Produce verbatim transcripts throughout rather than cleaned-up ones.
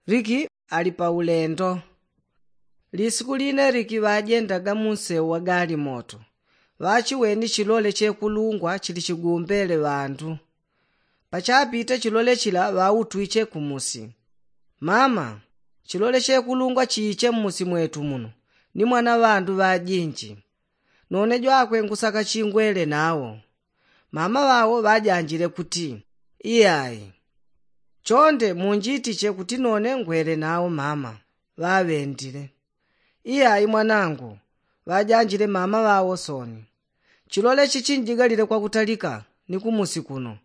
Liki ali pa ulendo. Lisiku line liki ŵajendaga munseu wa galimoto, ŵachiweni chilole chekulungwa chili chigumbele ŵandu. Pachapite chilole chila ŵautwiche kumusi. Mama, chilole chekulungwa chiiche mmusi mwetu muno, ni mwana ŵandu ŵajinji. None jwakwe ngusaka chingwele nawo. Mama ŵawo ŵajanjile kuti, iyai. Chonde munjitiche kuti none ngwele nawo mama. Ŵaŵendile. Iyai mwanangu, ŵajanjile mama ŵawo soni. Chilole chichinjigalile kwakutalika ni kumusi kuno.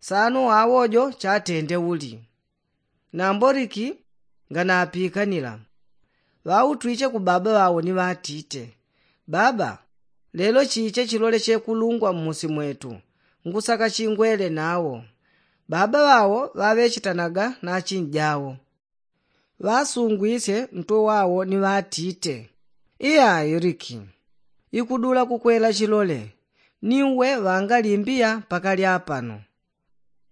Sano awo jo chatende uli. Nambo liki nganapikanila, ŵautwiche ku baba ŵawo ni ŵatite, baba, lelo chiche chilole chekulungwa mmusi mwetu, ngusaka chingwele nawo. Baba ŵawo ŵaŵechitanaga na achinjawo. Ŵasungwisye ntwe wawo ni ŵatite, iyai liki, ikudula kukwela chilole, ni uwe ŵangalimbiya pakali apano.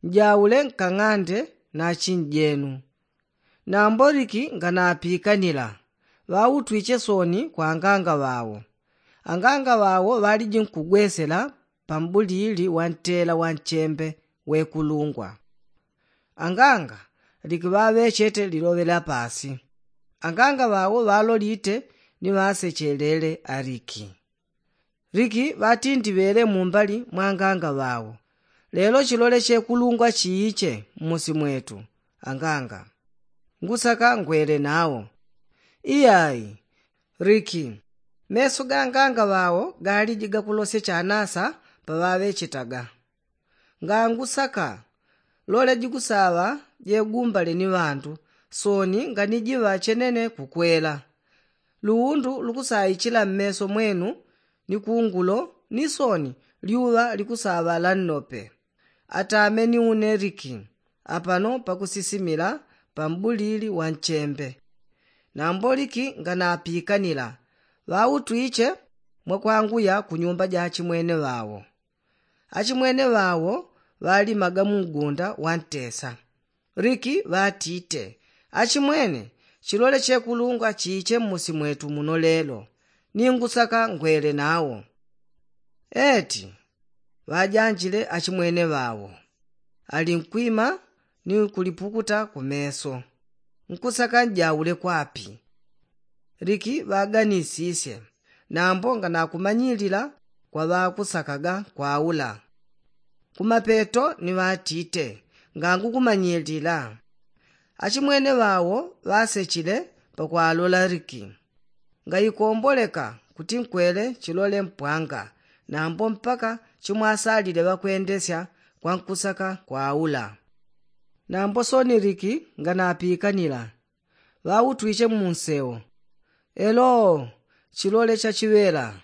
Njaule nkang'ande na achinjenu. Nambo liki nganapikanila, ŵautwiche soni kwa anganga ŵawo. Anganga ŵawo ŵaliji nkugwesela pa mbulili wa ntela wa nchembe wekulungwa. Anganga liki ŵaŵechete liloŵe lya pasi. Anganga ŵawo ŵalolite ni ŵasechelele aliki. Liki ŵatindiŵele mumbali mwa anganga ŵawo, lelo chilole chekulungwa chiiche mmusi mwetu. Anganga, ngusaka ngwele nawo. Iyai liki, meso ga anganga ŵawo galiji gakulosye chanasa paŵaŵechetaga. Ngangusaka, lole jikusaŵa jegumbale ni ŵandu, soni nganijiŵa chenene kukwela. Luwundu lukusaichila mmeso mwenu ni kungulo, ni soni lyuŵa likusaŵa la nnope. Atame ni une liki apano pakusisimila pa mbulili wa nchembe. Nambo liki nganapikanila, ŵautwiche mwakwanguya ku nyumba ja achimwene ŵawo. Achimwene ŵawo ŵalimaga mu ngunda wa ntesa. Liki ŵatite, achimwene, chilole chekulungwa chiiche mmusi mwetu muno lelo, ni ngusaka ngwele nawo. Eti, ŵajanjile achimwene ŵawo, ali nkwima ni kulipukuta ku meso. Nkusaka njaule kwapi? Liki ŵaganisisye, nambo nganakumanyilila kwa ŵakusakaga kwaula. Kumapeto ni ŵatite, ngangukumanyilila. Achimwene ŵawo ŵasechile pakwalola liki. Ngaikomboleka kuti nkwele chilole mpwanga, nambo mpaka chimwasalile ŵakwendesya kwa nkusaka kwaula. Nambo soni liki nganapikanila, ŵautwiche mu nseu. Elo, chilole chachiŵela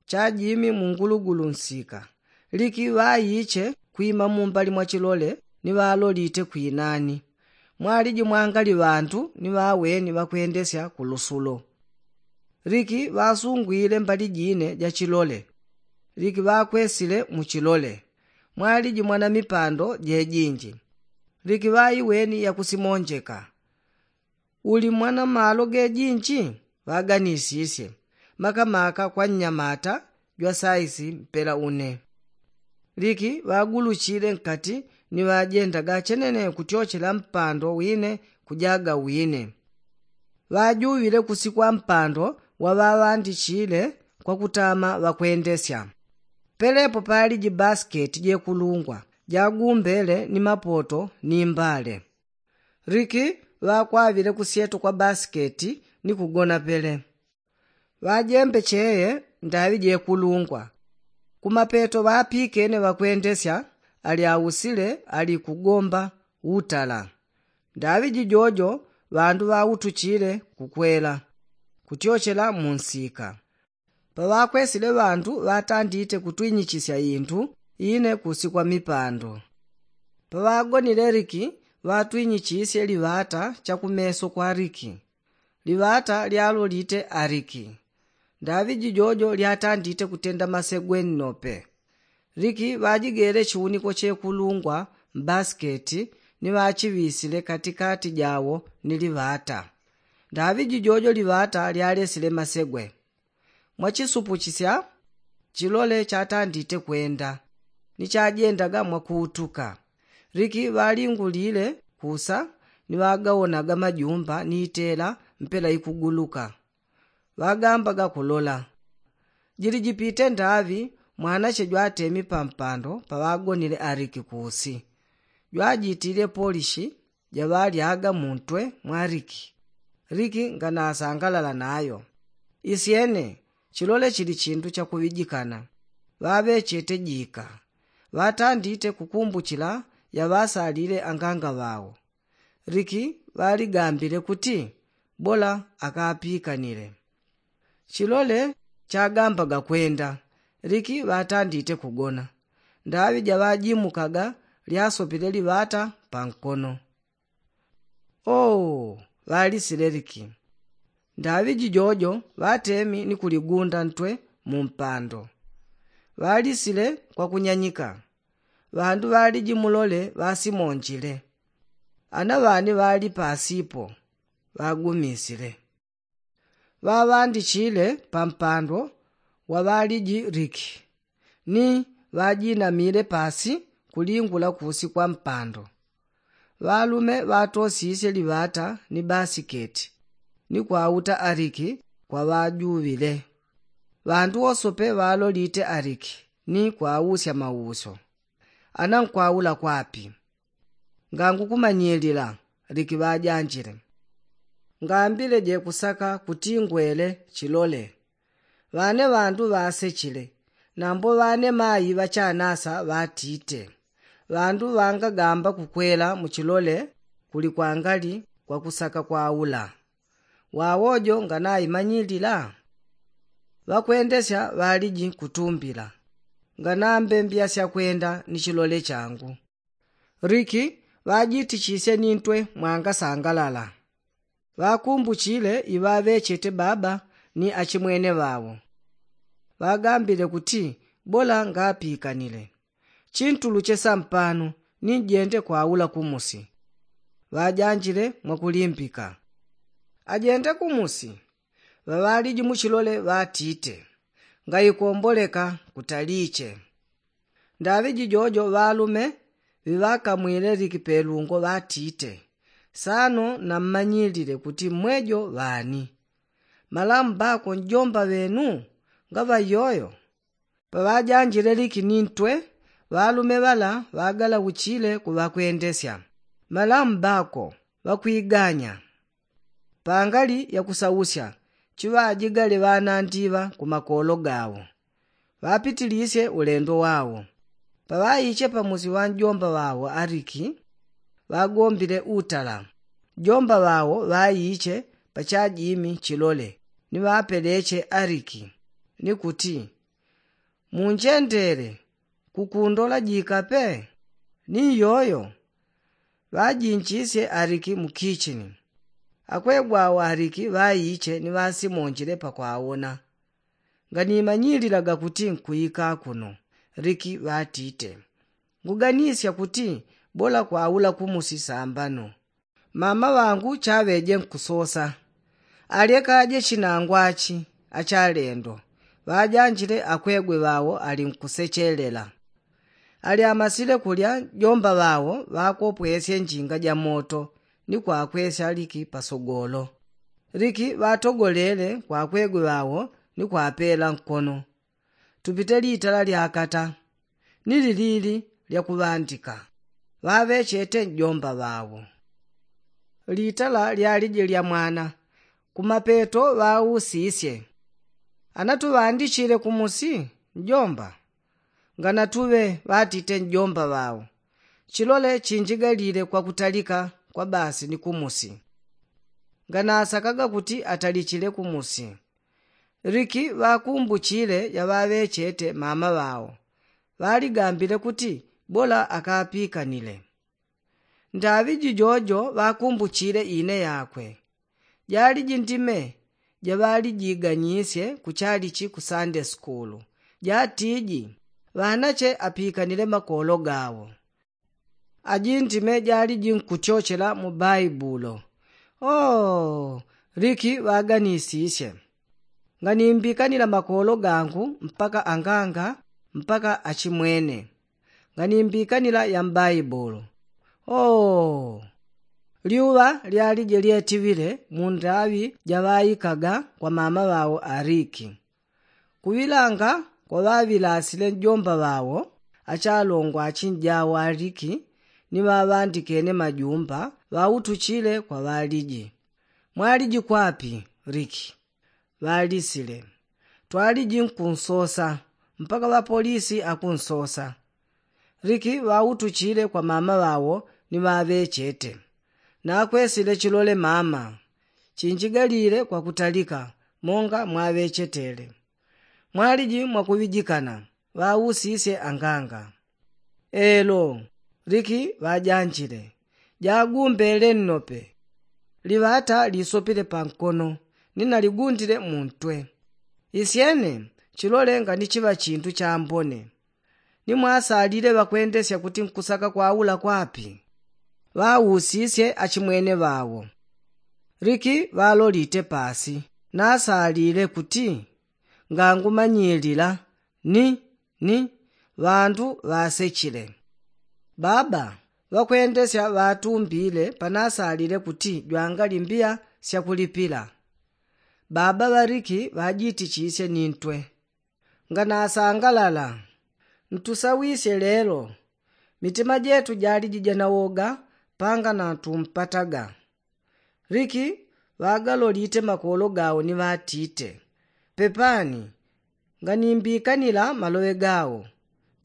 chajimi mu ngulugulu nsika. Liki ŵaiche kwima mumbali mwa chilole ni ŵalolite kwinani. Mwaliji mwangali ŵandu ni ŵaweni ŵakwendesya ku lusulo. Liki ŵasungwile mbali jine ja chilole. Liki ŵakwesile mu chilole. Mwaliji mwana mipando jejinji. Liki ŵaiweni yakusimonjeka. Uli mwana malo gejinji? Ŵaganisisye, makamaka kwa nnyamata jwa saisi mpela une. Liki ŵaguluchile nkati ni ŵajendaga chenene kutyochela mpando wine kujaga wine. Ŵajuŵile kusikwa mpando wa ŵaŵandichile kwa kutama ŵakwendesya. Pelepo paliji basiketi jekulungwa jagumbele ni mapoto ni mbale. Liki ŵakwaŵile kusyeto kwa basiketi ni kugona pele. Ŵajembe cheye ndaŵi jekulungwa. Kumapeto ŵapikene ŵakwendesya ali ausile ali kugomba utala. Ndaŵi jijojo ŵandu ŵautuchile kukwela kutyochela mu nsika. Paŵakwesile ŵandu ŵatandite kutwinyichisya indu ine kusikwa mipando. Paŵagonile liki ŵatwinyichisye liŵata chakumeso kwa liki. Liŵata lyalolite aliki. Ndaŵi jijojo lyatandite kutenda masegwe nnope. Liki ŵajigele chiuniko chekulungwa mbasiketi ni ŵachiŵisile katikati jawo ni liŵata. Ndaŵi jijojo liŵata lyalesile masegwe. Mwachisupuchisya chilole chatandite kwenda ni chajendaga mwakuutuka. Liki ŵalingulile kusa ni ŵagawonaga majumba ni itela mpela ikuguluka. Ŵagambaga kulola. Jili jipite ndaŵi mwanache jwatemi pampando paŵagonile aliki kusi. Jwajitile polishi jaŵalyaga muntwe mwa liki. Liki nganasangalala nayo. Isyene chilole chili chindu chakuŵijikana. Ŵaŵechete jika. Ŵatandite kukumbuchila yaŵasalile anganga ŵawo. Liki ŵaligambile kuti bola akapikanile. Chilole chagambaga kwenda. Liki ŵatandite kugona. Ndaŵi jaŵajimukaga lyasopile liŵata pankono. Oo, ŵalisile liki. Ndaŵi jijojo ŵatemi ni kuligunda ntwe mumpando. Ŵalisile kwakunyanyika. Ŵandu ŵaliji mulole ŵasimonjile. Ana ŵani ŵali pasipo ŵagumisile. Ŵaŵandichile pampando waŵaliji liki ni ŵajinamile pasi kulingula kusi kwa mpando. Ŵalume ŵatosisye liŵata ni basiketi ni kwauta aliki kwaŵajuŵile. Ŵandu wosope ŵalolite aliki ni kwausya mausyo. Ana nkwaula kwapi? Ngangukumanyilila. Liki ŵajanjile. Ngambile jekusaka kuti ngwele chilole. Ŵane ŵandu ŵasechile. Nambo ŵane mayi ŵachanasa ŵatite. Ŵandu ŵangagamba kukwela muchilole kuli kwangali kwakusaka kwaula. Wawojo nganaimanyilila. Ŵakwendesya ŵaliji kutumbila. Nganambe mbiyasya kwenda ni chilole changu. Liki ŵajitichisye ni ntwe mwangasangalala. Ŵakumbuchile iŵaŵechete baba ni achimwene ŵawo. Ŵagambile kuti bola ngapikanile. Chintuluche sampano ni njende kwaula kumusi. Ŵajanjile mwakulimbika. Ajende kumusi. Ŵaŵaliji muchilole ŵatite. Ngaikomboleka kutaliche. Ndaŵi jijojo ŵalume ŵiŵakamwile liki pelungo ŵatite. Sano nammanyilile kuti mmwejo ŵani. Malamu bako njomba ŵenu? Ngaŵa iyoyo. Paŵajanjile liki ni ntwe ŵalume ŵala ŵagalauchile kuŵakwendesya. Malamu bako ŵakwiganya. Pangali yakusausya chiŵajigale ŵanandiŵa kumakolo gawo. Ŵapitilisye ulendo wawo. Paŵaiche pamusi ŵa njomba ŵawo aliki ŵagombile utala. Njomba ŵawo ŵaiche pachajimi chilole ni ŵapeleche aliki ni kuti, munjendele kukundola jikape? Ni iyoyo. Ŵajinchisye aliki mu kichini. Akwegwa awo aliki ŵaiche ni ŵasimonjile pakwawona. Nganimanyililaga kuti nkwika kuno. Liki ŵatite, nguganisya kuti bola kwaula kumusi sambano. Mama ŵangu chaŵeje nkusosa. Alyekaje chinangwachi achalendo. Ŵajanjile akwegwe ŵawo ali nkusechelela. Alyamasile kulya jomba ŵawo ŵakopwesye njinga ja moto ni kwakwesya liki pasogolo. Liki ŵatogolele kwakwegwe ŵawo ni kwapela nkono. Tupite litala lyakata ni lilili lyakuŵandika. Ŵaŵechete njomba ŵawo. Litala lyaliji lya mwana. Kumapeto ŵausisye, anatuŵandichile kumusi njomba? Nganatuŵe, ŵatite njomba ŵawo. Chilole chinjigalile kwakutalika kwa basi ni kumusi. Nganasakaga kuti atalichile kumusi. Liki ŵakumbuchile yaŵaŵechete mama ŵawo. Ŵaligambile kuti bola akapikanile. Ndaŵi jijojo ŵakumbuchile ine yakwe. Jaliji ndime jaŵalijiganyisye kuchalichi ku sande sukulu, jatiji ŵanache apikanile makolo gawo. Ajintime jaliji nkutyochela mu baibulo. Oo, liki ŵaganisisye. Nganimbikanila makolo gangu mpaka anganga mpaka achimwene. Nganimbikanila ya mbaibulo. Oo, lyuŵa lyalije lyetiŵile mu ndaŵi jaŵaikaga kwa mama ŵao aliki. Kuŵilanga kwaŵaŵilasile njomba ŵao achalongo achinjawo aliki ni ŵaŵandikene majumba ŵautuchile kwa ŵaliji. Mwaliji kwapi? Liki ŵalisile. Twaliji nkunsosa mpaka ŵapolisi akunsosa. Liki ŵautuchile kwa mama ŵao ni ŵaŵechete. Nakwesile chilole mama. Chinjigalile kwakutalika monga mwaŵechetele. Mwaliji mwakuŵijikana? Ŵausisye anganga. Elo. Liki ŵajanjile. Jagumbele nnope. Liŵata lisopile pankono ni naligundile muntwe. Isyene chilole nganichiŵa chintu chambone. Ni mwasalile ŵakwendesya kuti nkusaka kwaula kwapi? Ŵausisye achimwene ŵao. Liki ŵalolite pasi nasalile kuti ngangumanyilila ni ni ŵandu ŵasechile. Baba ŵakwendesya ŵatumbile panasalile kuti jwangali mbiya syakulipila. Baba ŵaliki ŵajitichisye ni ntwe. Nganasangalala. Ntusawisye lelo. Mitima jetu jaliji janawoga panga natumpataga. Liki ŵagalolite makolo gao ni ŵatite, pepani nganimbikanila maloŵe gao.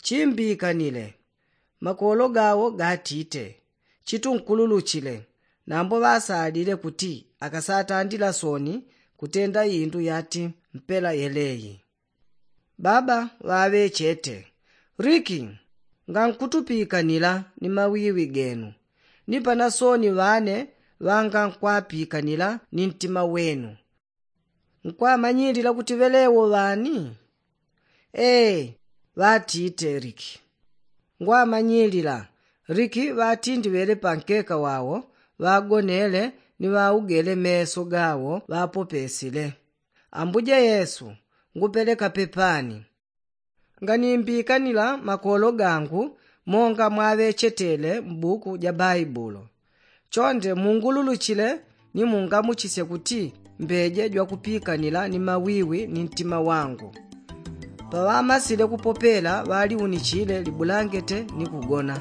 Chimbikanile. Makolo gao gatite, chitunkululuchile. Nambo ŵasalile kuti akasatandila soni kutenda indu yati mpela yeleyi. Baba ŵaŵechete. Liki ngankutupikanila ni mawiwi genu. Ni panasoni ŵane ŵangankwapikanila ni ntima wenu. Nkwamanyilila kuti ŵelewo ŵani? Ee, ŵatite liki. Ngwamanyilila. Liki ŵatindiŵele pankeka wao ŵagonele ni ŵaugele meso gao ŵapopesile. Ambuje yesu, ngupeleka pepani. Nganimbikanila makolo gangu monga mwaŵechetele mbuku ja baibulo. Chonde mungululuchile ni mungamuchisye kuti mbeje jwakupikanila ni mawiwi ni ntima wangu. Paŵamasile kupopela ŵaliunichile libulangete ni kugona.